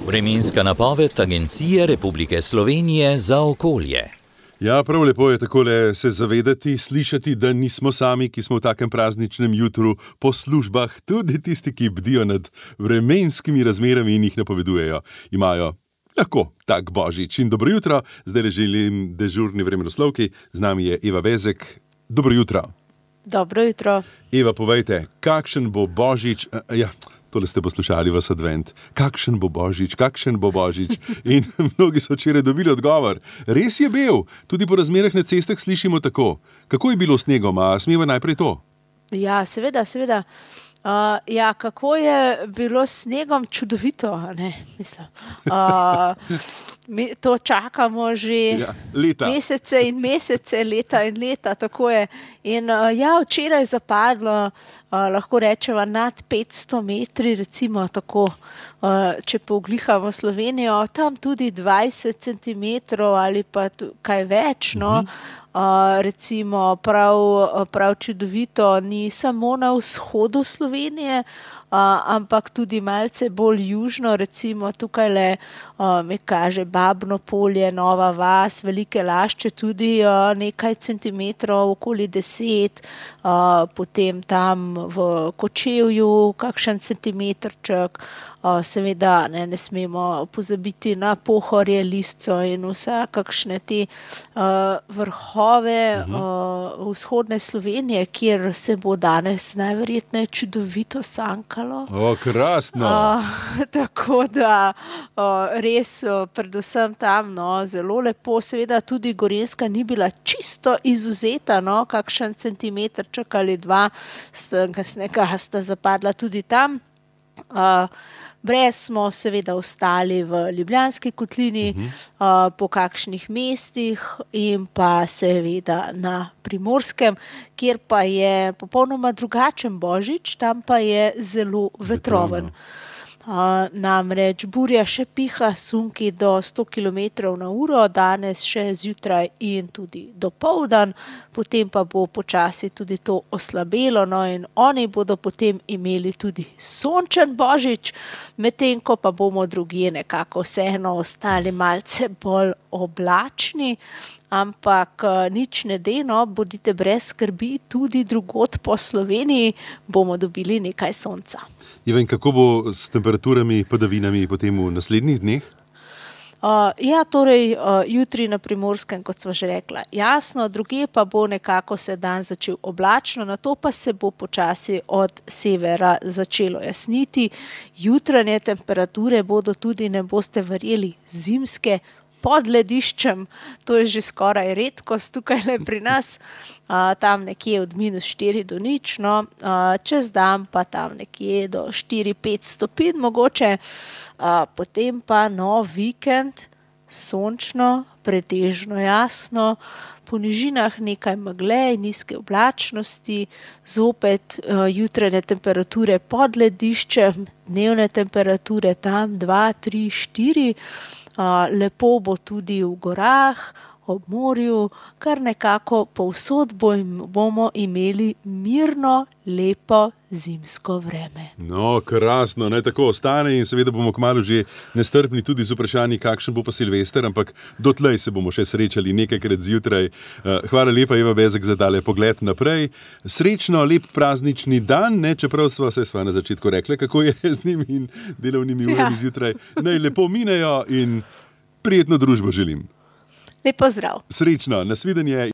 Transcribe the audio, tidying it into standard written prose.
Vremenska napoved Agencije Republike Slovenije za okolje. Ja, prav lepo je takole se zavedati, slišati, da nismo sami, ki smo v takem prazničnem jutru po službah, tudi tisti, ki bdijo nad vremenskimi razmerami in jih napovedujejo. Imajo lahko tak božič. In dobro jutro, zdaj želim dežurni vremenoslovki, z nami je Eva Bezek. Dobro jutro. Dobro jutro. Eva, povejte, kakšen bo božič? Tole ste poslušali vas advent. Kakšen bo božič, kakšen bo božič? In mnogi so včeraj dobili odgovor. Res je bil, tudi po razmerah na cestah slišimo tako. Kako je bilo s snegom, a smeva najprej to? Ja, seveda. Kako je bilo s snegom, čudovito, ne, mislim. Mi to čakamo že mesece in mesece, leta in leta, tako je. In včeraj je zapadlo, lahko rečemo, nad 500 metri, recimo tako, če poglihamo Slovenijo, tam tudi 20 centimetrov ali pa kaj več, no. Recimo prav čudovito, ni samo na vzhodu Slovenije, ampak tudi malce bolj južno, recimo tukajle me kaže Babno polje, Nova vas, Velike Lašče tudi nekaj centimetrov, okoli 10, potem tam v Kočevju kakšen centimetrček. Seveda ne smemo pozabiti na Pohorje, Lisco in vse kakšne te vrhove vzhodne Slovenije, kjer se bo danes najverjetneje čudovito sankalo. Krasno! Tako da res predvsem tam zelo lepo, seveda tudi Gorenjska ni bila čisto izvzeta, kakšen centimetrček ali dva snega sta zapadla tudi tam. Brez smo seveda ostali v Ljubljanski kotlini, po kakšnih mestih in pa seveda na Primorskem, kjer pa je popolnoma drugačen božič, tam pa je zelo vetroven. Namreč burja še piha, sunki do 100 km/h, danes še zjutraj in tudi dopoldan, potem pa bo počasi tudi to oslabelo, in oni bodo potem imeli tudi sončen božič, medtem ko pa bomo drugje nekako vseeno ostali malce bolj oblačni, ampak nič ne de, bodite brez skrbi, tudi drugod po Sloveniji bomo dobili nekaj sonca. In kako bo s temperaturami, padavinami potem v naslednjih dneh? Jutri na Primorskem, kot sva že rekla, jasno, drugje pa bo nekako se dan začel oblačno, nato pa se bo počasi od severa začelo jasniti. Jutranje temperature bodo tudi, ne boste verjeli, zimske, pod lediščem, to je že skoraj redkost tukaj pri nas, tam nekje od -4 do 0, čez dan pa tam nekje do 4-5 stopinj mogoče, potem pa vikend, sončno, pretežno jasno, po nižinah nekaj megle in nizke oblačnosti, zopet jutranje temperature pod lediščem, dnevne temperature tam 2, 3, 4, lepo bo tudi v gorah, ob morju, kar nekako povsod bomo imeli mirno, lepo zimsko vreme. Krasno, naj tako ostane in seveda bomo kmalu že nestrpni tudi z vprašanji, kakšen bo pa Silvester, ampak dotlej se bomo še srečali nekajkrat zjutraj. Hvala lepa, Eva Bezek, za tale pogled naprej. Srečno, lep praznični dan, čeprav sva na začetku rekla, kako je z njimi in delovnimi urami zjutraj. Naj lepo minejo in prijetno družbo želim. Lep pozdrav. Srečno, nasvidenje.